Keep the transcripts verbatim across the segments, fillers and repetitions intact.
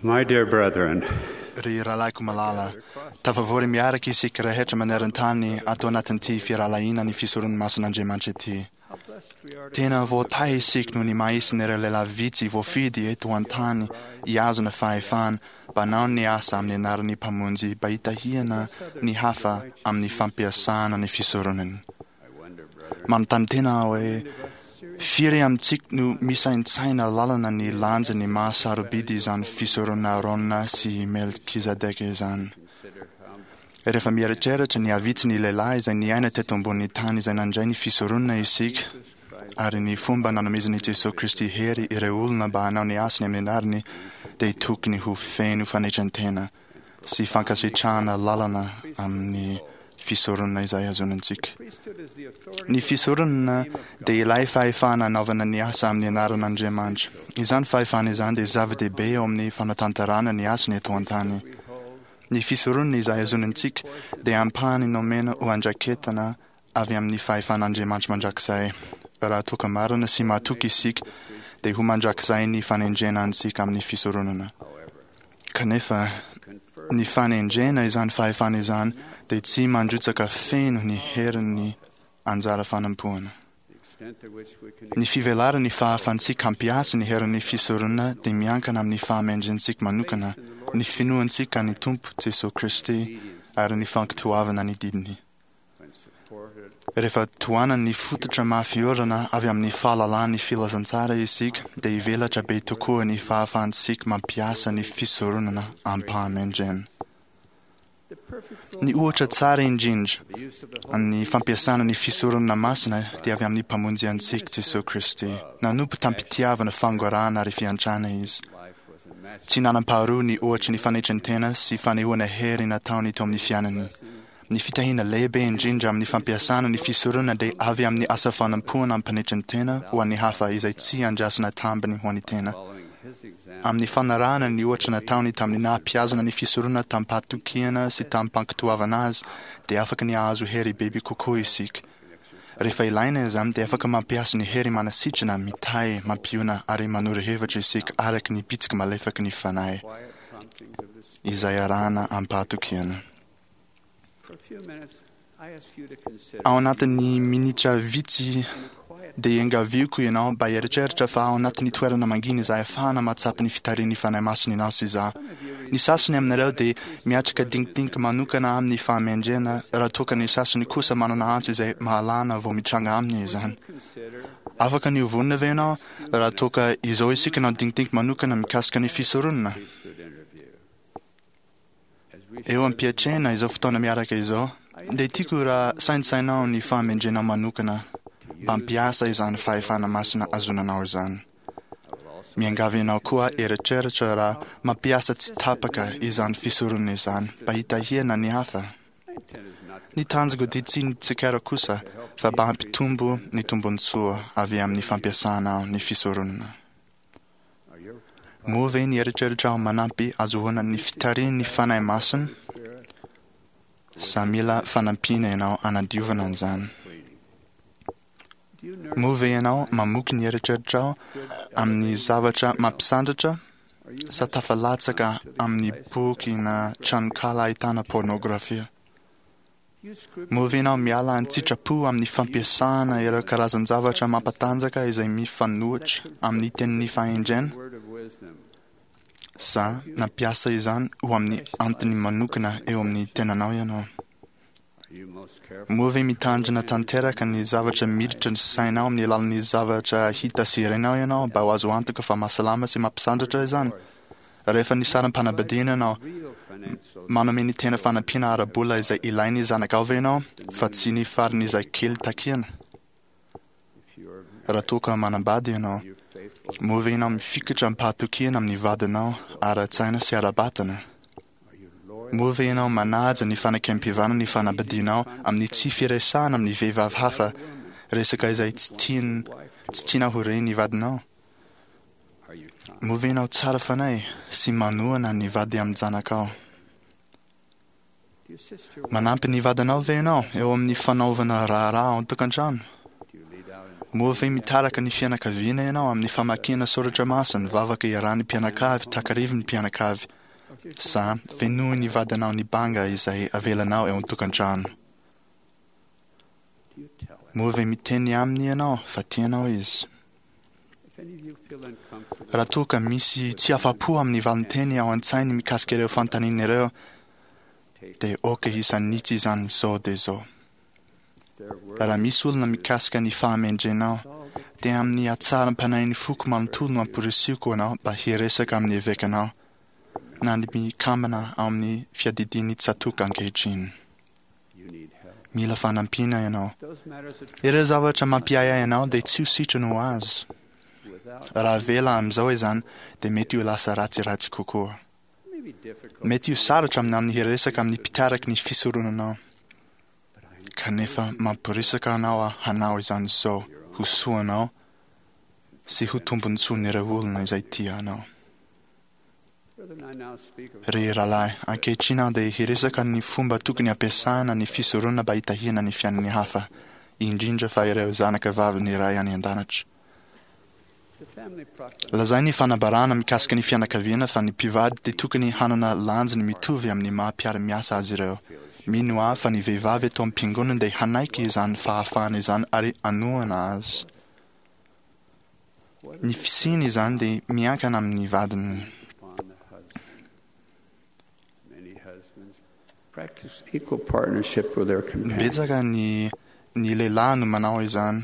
My dear brethren, Ry rahalahiko malala, tafavory miaraka isika rehetra maneran-tany ato anatin'ity firahalahiana ny fisoron'ny masin'Andriamanitra ity. Tena voatahy isika noho ny maha-isan'ireo lehilahy vitsy voafidy eto an-tany hihazona fahefana mba hanao ny asa amin'ny anaran'ny Mpamonjy mba hitahiana ny hafa amin'ny fampiasana ny fisoronany. Manontany tena aho hoe firy amintsika no misaintsaina lalana ny lanjan'ny maha-sarobidy izany fisoronana Aarona sy Melkizedeka izany. Rehefa mieritreritra ny havitsin'ny lehilahy izay niaina teto ambonin'ny tany izay nandray ny fisoronana isika, ary ny fomba nanomezan'i Jesoa Kristy hery ireo olona mba hanao ny asany amin'ny anarany, dia tokony ho feno fanetren-tena sy fankasitrahana lalana amin'ny fisoronana izay azonantsika. Ny fisoronana dia ilay fahefana anaovana ny asa amin'ny anaran'Andriamanitra. Izany fahefana izany dia zava-dehibe eo amin'ny fanatanterahana ny asany eto an-tany. Ny fisoronana izay azonantsika dia ampahany nomena ho andraiketana avy amin'ny fahefan'Andriamanitra mandrakizay. Raha toa ka marina sy mahatoky isika, dia ho mandrakizay ny fanendrena antsika amin'ny fisoronana. Kanefa, ny fanendrena izany fahefana izany dia tsy mandrotsaka feno ny herin'ny anjara fanompoana. Ny fivelaran'ny fahafantsika hampiasa ny herin'ny fisoronana dia miankina amin'ny fahamendrentsika manokana, ny finoantsika ny Tompo Jesoa Kristy ary ny fankatoavana ny didiny. Rehefa tohanan'ny fototra mafy orina avy amin'ny fahalalan'ny filazantsara isika, dia hivelatra be tokoa ny fahafahantsika mampiasa ny fisoronana am-pahamendrena. Ny ohatra tsara indrindra amin'ny fampiasana ny fisoronana masina dia avy amin'ny Mpamonjy antsika Jesoa Kristy. Nanompo tam-pitiavana, fangorahana ary fiantrana izy. Tsy nanam-paharoa ny ohatry ny fanetren-tena sy fanehoana hery nataony teo amin'ny fiainany. Ny fitahiana lehibe indrindra amin'ny fampiasana ny fisoronana dia avy amin'ny asa fanompoana am-panetren-tena ho an'ny hafa izay tsy andrasana tambiny ho an'ny tena. Amin'ny fanarahana ny ohatra nataony tamin'ny naha-mpihazona ny fisoronana tamim-pahatokiana sy tamim-pankatoavana azy, dia afaka ny hahazo hery bebe kokoa isika. Rehefa ilaina izany, dia afaka mampiasa ny hery manasitrana, mitahy, mampiona ary manoro hevitra isika araka ny bitsiky malefaky ny Fanahy izay arahana am-pahatokiana. Ao anatin'ny minitra vitsy dia iangaviako ianao mba hieritreritra fa ao anatin'ny toerana mangina izay ahafahana mahatsapa ny fitarihan'ny Fanahy Masina ianao sy izaho. Ny sasany aminareo dia miatrika dinkidinika manokana amin'ny fahamendrehana raha toa ka ny sasany kosa manana antso izay mahalana vao mitranga aminy izany. Afaka ny ho vonona ve ianao raha toa ka izao isika nanao dinkidinika manokana mikasika ny fisoronana? Eo am-piatrehana izao fotoana miaraka izao, dia tiako raha saintsainao ny fahamendrena manokana mba hampiasa izany fahefana masina azonanao izany. Miangavy anao koa eritreritra raha mampiasa tsy tapaka izany fisoronana izany mba hitahiana ny hafa. Ny tanjoko dia tsy ny tsikera kosa fa mba hampitombo ny tombontsoa avy amin'ny fampiasana ny fisoronana. Moa ve ny eritreritrao manampy azahoana ny fitarihan'ny Fanahy Masina sa mila fanampiana ianao hanadiovana an'izany? Moa ve ianao mamoky ny eritreritrao amin'ny zavatra mampisandratra sa tafalatsaka amin'ny boky na tranonkala ahitana pôrnôgrafia? Moa ve ianao miala an-tsitrapo amin'ny fampiasana ireo karazan-javatra mampatanjaka izay mifanohitra amin'ny tenin'ny fahendrena? Sa nampiasa izany ho amin'ny antony manokana eo amin'ny tenanao ianao? Moa ve mitandrina tanteraka ny zavatra miditra ny sainao amin'ny alalan'ny zavatra hita sy renao ianao mba ho azo antoka fa mahasalama sy mampisandratra izany? Rehefa nisaram-panambadiana ianao, manome ny tena fanampiana ara-bola izay ilain'ny zanakao ve ianao fa tsy ny farany izay kely takiana? Raha toa ka manambady ianao, moa ve ianao mifikitra am-pahatokiana amin'ny vadinao ara-tsaina sy ara-batana? Moa ve ianao manaja ny fanekempihavanana ny fanambadianao amin'ny tsy firesahana amin'ny vehivavy hafa resaka izay tsy tian tsy tianao ho ren'ny vadinao? Moa ve ianao tsara fanahy sy manohana ny vady aman-janakao? Manampy ny vadinao ve ianao eo amin'ny fanaovana raharaha ao an-tokantrano? Moa ve mitarika ny fianakaviana ianao amin'ny famakiana soratra masina, vavaka iarahan'ny mpianakavy, takarivin'ny mpianakavy, sa fenoin'ny vadinao ny banga izay avelanao eo an-tokantrano? Moa ve miteny aminy ianao fa tianao izy? Raha toa ka misy tsy afa-po amin'ny valinteny ao an-tsainy mikasika ireo fanontaniana ireo, dia aoka hisanitsy izany izao dia izao. Raha misy olona mikasika ny fahamendrenao, dia amin'ny hatsaram-panahin'ny foko manontolo no amporisihiko anao mba hiresaka amin'ny evekanao na ny mikambana ao amin'ny fiadidian'ny tsatòka ankehitriny. Mila fanampiana ianao. Ireo zavatra mampiahiahy anao dia tsy ho sitrana ho azy. Raha avela amin'izao izany, dia mety ho lasa ratsiratsy kokoa. Mety ho sarotra aminao ny hiresaka amin'ny mpitariky ny fisoronanao. Kanefa mampirisika anao aho hanao izany izao ho soanao sy ho tombontsoan'ireo olona izay tia anao. Ry rahalahy, ankehitriny aho dia hiresaka ny fomba tokony hampiasana ny fisoronana mba hitahiana ny fiainan'ny hafa, indrindra fa ireo zanaka vavin'ny Ray any an-danitra. Lazain'ny fanambarana mikasika ny fianakaviana fa ny mpivady dia tokony hanana lanjany mitovy amin'ny maha mpiara-miasa azy ireo. Mino aho fa ny vehivavy eto am-piangonana dia hanaiky izany fahafahana izany ary hanohana azy. Ny fisiany izany dia miankina amin'ny vadiny. Betsaka ny ny lehilahy no manao izany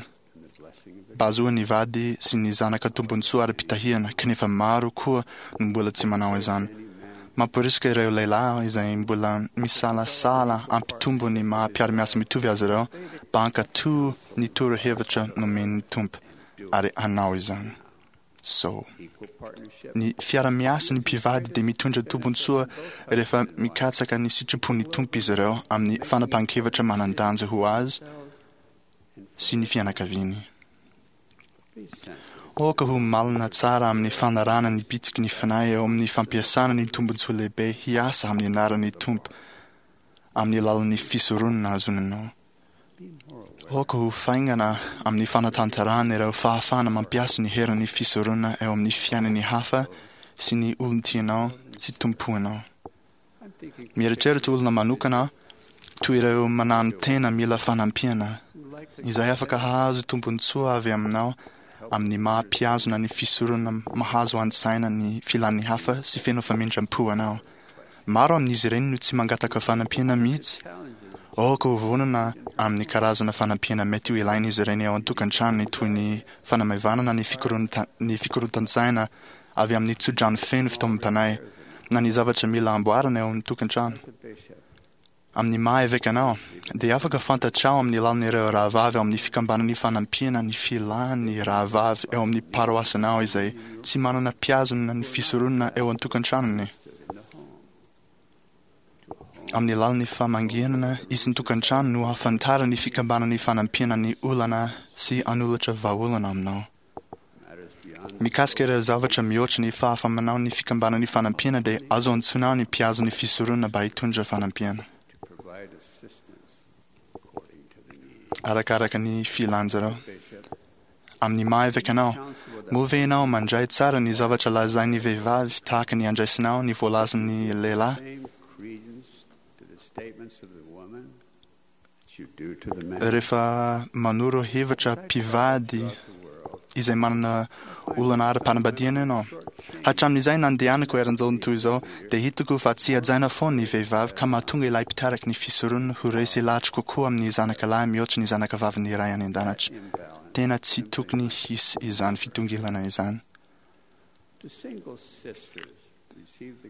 mba hahazoan'ny vady sy ny zanaka tombontsoa ara-pitahiana, kanefa maro koa no mbola tsy manao izany. Mamporisika ireo lehilahy izay mbola misalasala hampitombo ny maha mpiara-miasa mitovy azy ireo mba hankatò ny torohevitra nomen'ny Tompo ary hanao izany. So. Ny fiara-miasan'ny mpivady dia mitondra tombontsoa rehefa mikatsaka ny sitrapon'ny Tompo izy ireo amin'ny fanapahan-kevitra manan-danja ho azy sy ny fianakaviany. Aoka ho malina tsara amin'ny fanarahana ny bitsiky ny Fanahy eo amin'ny fampiasana ny tombontsoa lehibe hiasa amin'ny anaran'ny Tompo amin'ny alalan'ny fisoronana azonanao. Aoka ho faingana amin'ny fanatanterahana ireo fahafahana mampiasa ny herin'ny fisoronana eo amin'ny fiainan'ny hafa sy ny olon-tianao sy tompoinao. Mieritreritra olona manokana aho, toy ireo mananotena mila fanampiana, izay afaka hahazo tombontsoa avy aminao amin'ny maha mpihazona ny fisoronana mahazo an-tsaina ny filan'ny hafa sy feno famindram-po anao. Maro amin'izy ireny no tsy mangataka fanampiana mihitsy. Aoka ho vonona amin'ny karazana fanampiana mety ho ilain'izy ireny ao an-tokantranony toy ny fanamaivanana ny ny fikorontan-tsaina avy amin'ny tsodrano feno fitaomam-panahy na ny zavatra mila amboarina eo an-tokantrano. Amin'ny maha eveka anao, dia afaka fantatrao amin'ny alalan'ireo rahavavy ao amin'ny fikambanan'ny fanampiana ny filan'ny rahavavy eo amin'ny paroasinao izay tsy manana mpihazona ny fisoronana eo an-tokantranony. Amin'ny alalan'ny famangiana isan-tokantrano no ahafantaran'ny fikambanan'ny fanampiana ny olana sy hanolotra vahaolana aminao. Mikasika ireo zavatra mihoatra ny fahafamanao ny fikambanan'ny fanampiana dia azo antsoinao ny mpihazo ny fisoronana mba hitondra fanampiana. Arakaraka ny filanjareo. Amin'ny maha eveka anao, moa ve ianao mandray tsara ny zavatra lazain'ny vehivavy tahaka ny andraisinao ny voalazan'ny lehilahy? Rehefa manoro hevitra mpivady izay manana olana ara-panambadiana ianao. Hatramin'izay nandehanako eran'izao tontolo izao, dia hitako fa tsy hajaina foana ny vehivavy ka mahatonga ilay mpitariky ny fisoronana ho resy lahatra kokoa amin'ny zanaka lahy mihoatra ny zanaka vavin'ny Ray any An-danitra. Tena tsy tokony hisy izany fitongilana izany.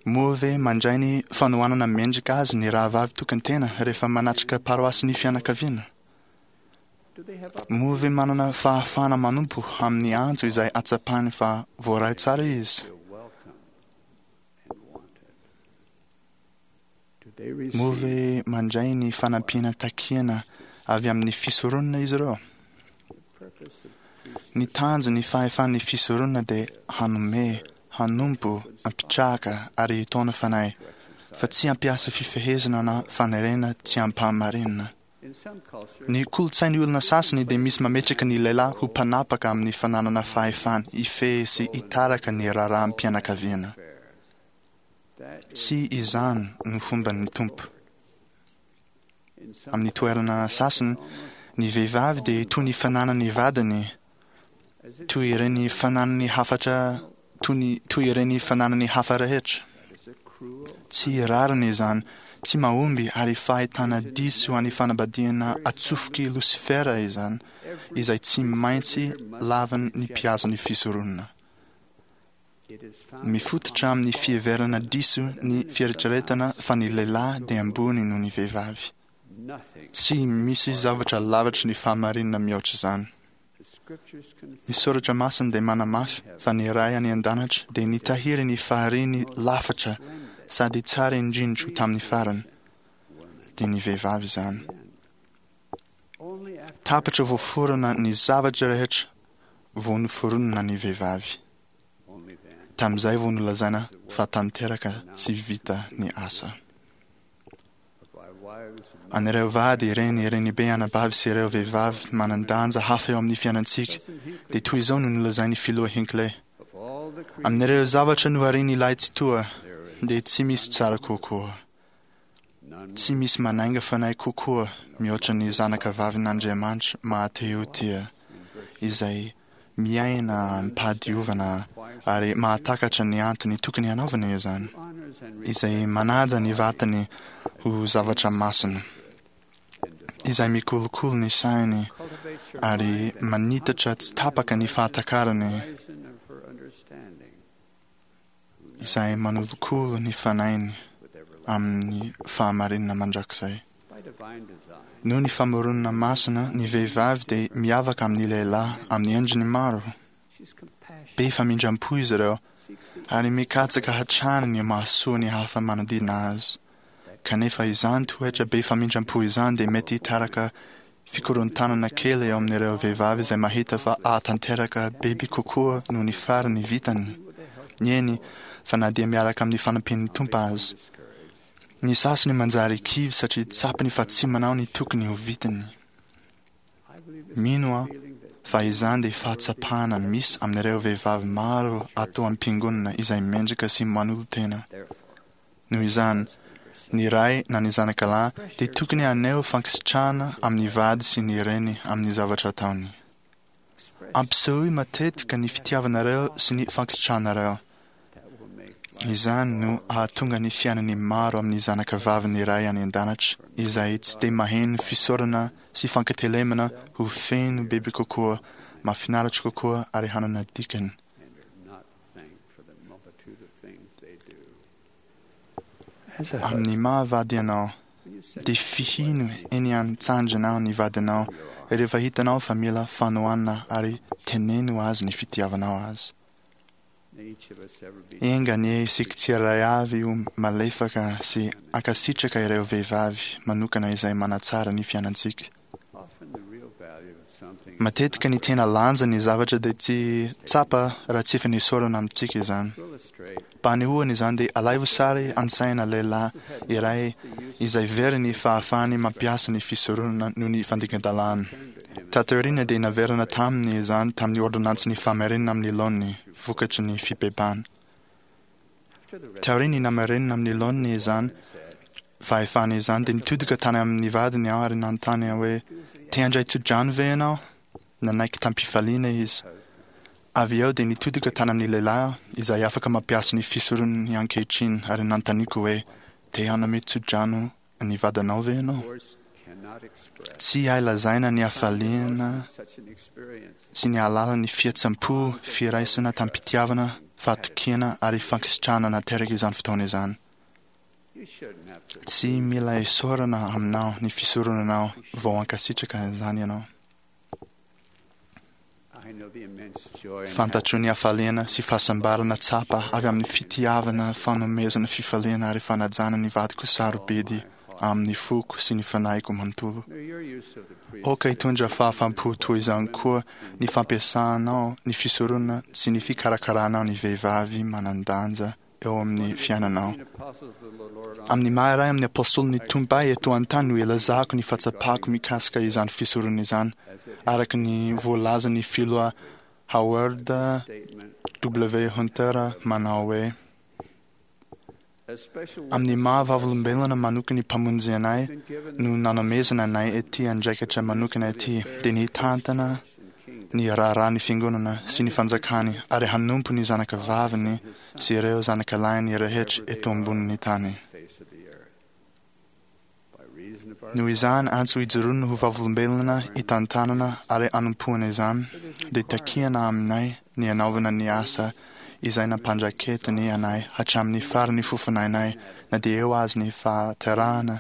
Moa ve mandray ny fanohanana mendrika azy ny rahavavy tokantena rehefa manatrika paroasin'ny fianakaviana? Moa ve manana fahafahana manompo amin'ny antso izay atsapany fa voaray tsara izy? Moa ve mandray ny fanampiana takiana avy amin'ny fisoronana izy ireo? Ny tanjon'ny fahefan'ny fisoronana dia hanome, hanompo, hampitraka ary hitaona fanahy, fa tsy hampiasa fifehezana na fanerena tsy ampahamarinana. Ny kolontsain'ny olona sasany dia misy mametraka ny lehilahy ho mpanapaka amin'ny fananana fahefana hifehy sy hitarika ny raharaham-pianakaviana. Tsy izany no fomban'ny Tompo. Amin'ny toerana sasany, ny vehivavy dia toy ny fananany vadiny, toy ireny fananany hafatra toy ny toy ireny fananany hafa rehetra. Tsy rariny izany, tsy mahomby ary fahitana diso an'ny fanambadiana atsofoky Losifera izany, izay tsy maintsy lavin'ny mpihaza ny fisoronana. Mifototra amin'ny fiheverana diso ny fieritreretana fa ny lehilahy dia ambony noho ny vehivavy. Tsy misy zavatra lavitry ny fahamarinana mihoatra izany. Ny soratra masina dia manamafy fa ny Ray any an-danitra dia nitahiry ny fahariany lafatra sady tsara indrindra tamin'ny farany, dia ny vehivavy izany. Tapitra voaforona ny zavatra rehetra vao noforonina ny vehivavy. Tamin'izay vao nolazaina fa tanteraka sy vita ny asa. An'ireo vady, reny, renibe, anabavy sy ireo vehivavy manan-danja hafa eo amin'ny fiainantsika, dia toy izao no nolazain'ny filoha Hinckley. Amin'ireo zavatra noharian'ilay Tsitoha, dia tsy misy tsara kokoa. Tsy misy manainga fanahy kokoa mihoatra ny zanaka vavin'Andriamanitra mahatehotia, izay miaina amim-pahadiovana ary mahatakatra ny antony tokony hanaovana izany, izay manaja ny vatany ho zavatra masina, izay mikolokolo ny sainy ary manitatra tsy tapaka ny fahatakarany, izay manolokolo ny fanainy amin'ny fahamarinana mandrakizay. Noho ny famoronana masina, ny vehivavy dia miavaka amin'ny lehilahy amin'ny endriny maro. Be famindram-po izy ireo ary mikatsaka hatrany ny mahasoa ny hafa manodidina azy. Kanefa izany toetra be famindram-po izany dia mety hitarika fikorontanana kely eo amin'ireo vehivavy izay mahita fa ahatanteraka bebe kokoa noho ny farany vitany. Eny, fa na dia miaraka amin'ny fanampian'ny Tompo aza. Ny sasany manjary kivy satria tsapany fa tsy manao ny tokony ho vitany. Mino aho fa izany dia fahatsapana misy amin'ireo vehivavy maro ato am-piangonana izay mendrika sy manolo-tena. Noho izany, ny ray na ny zanaka lahy dia tokony haneho fankasitrahana amin'ny vady sy ny reny amin'ny zavatra ataony. Ampisehoy matetika ny fitiavanareo sy ny fankasitrahanareo. Izany no ahatonga ny fiainan'ny maro amin'ny zanaka vavin'ny Ray any an-danitra izay tsy dia maheno fisaorana sy fankatelemana ho feno bebe kokoa, mahafinaritra kokoa ary hanana dikany. Amin'ny maha-vady anao, dia fihino eny an-tsandrinao ny vadinao rehefa hitanao fa mila fanohanana ary teneno azy ny fitiavanao azy. Enga anie isika tsirairay avy ho malefaka sy hankasitraka ireo vehivavy manokana izay manatsara ny fiainantsika. Matetika ny tena lanjan'ny zavatra dia tsy tsapa raha tsy efa nesorina amintsika izany. Mba hanehoana izany dia alaivo sary an-tsaina lehilahy iray izay very ny fahafahany mampiasa ny fisoronana noho ny fandikan-dalàna. Taty aoriana dia naverina taminy izany tamin'ny ôrdônansin'ny famerenana amin'ny laoniny, vokatry ny fibebahana. Taorian'ny namerenana amin'ny laoniny izany fahefana izany dia nitodika tany amin'ny vadiny aho ary nanontany aho hoe, Te handray tsodrano ve ianao? Nanaiky tamim-pifaliana izy. Avy eo dia nitodika tany amin'ny lehilahy aho izay afaka mampiasa ny fisoronany ankehitriny ary nanontaniako hoe, Te hanome tsodrano ny vadinao ve ianao? Tsy hay lazaina ny hafaliana sy ny halalan'ny fihetseham-po, firaisana tamim-pitiavana, fahatokiana ary fankasitrahana nateraka izany fotoana izany. Tsy mila esorana aminao ny fisoronanao vao hankasitraka izany ianao. Fantatro ny hafaliana sy fahasambarana tsapa avy amin'ny fitiavana, fanomezana fifaliana ary fanajana ny vadiko sarobidy amin'ny foko sy ny fanahiko manontolo. Aoka hitondra fahafaham-po toy izany koa ny fampiasanao ny fisoronana sy ny fikarakaranao ny vehivavy manan-danja eo amin'ny fiainanao. Amin'ny maha iray amin'ny apôstôlin'ny Tompo ahy eto an-tany no ilazako ny fahatsapako mikasika izany fisorona izany, araka ny voalazan'ny filoha Howard W. Hunter manao hoe: "Amin'ny maha vavolombelona manokana ny Mpamonjy anay no nanomezana anay ity andraikitra manokana ity, dia ny hitantana ny raharahan'ny fiangonana sy ny fanjakany ary hanompo ny zanakavaviny sy ireo zanakalahiny rehetra eto ambonin'ny tany. Noho izany antso ijoroana ho vavolombelona hitantanana ary hanompoana izany, dia takiana aminay ny hanaovana ny asa izay nampandraketiny anay hatramin'ny faran'ny fofonainay, na dia eo aza ny fahaterahana,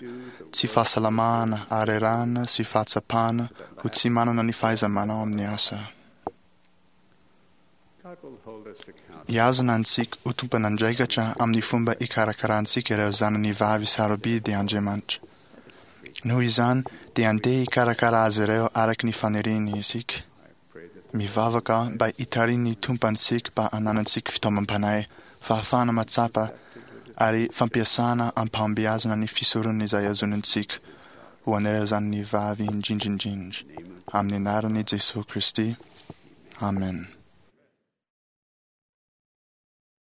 tsy fahasalamana, harerahana sy fahatsapana ho tsy manana ny fahaiza-manao amin'ny asa. Hihazona antsika ho tompon'andraikitra amin'ny fomba ikarakarantsika ireo zanany vavy sarobidy Andriamanitra. Noho izany, dia andeha hikarakara azy ireo araka ny faniriany isika. Mivavaka aho mba hitarihin'ny Tompo antsika mba hananantsika fitaomam-panahy, fahafahana mahatsapa ary fampiasana am-pahombiazana ny fisoronana izay azonintsika ho an'ireo zanany vavy indrindra indrindra. Amin'ny anaran'i Jesoa Kristy. Amen.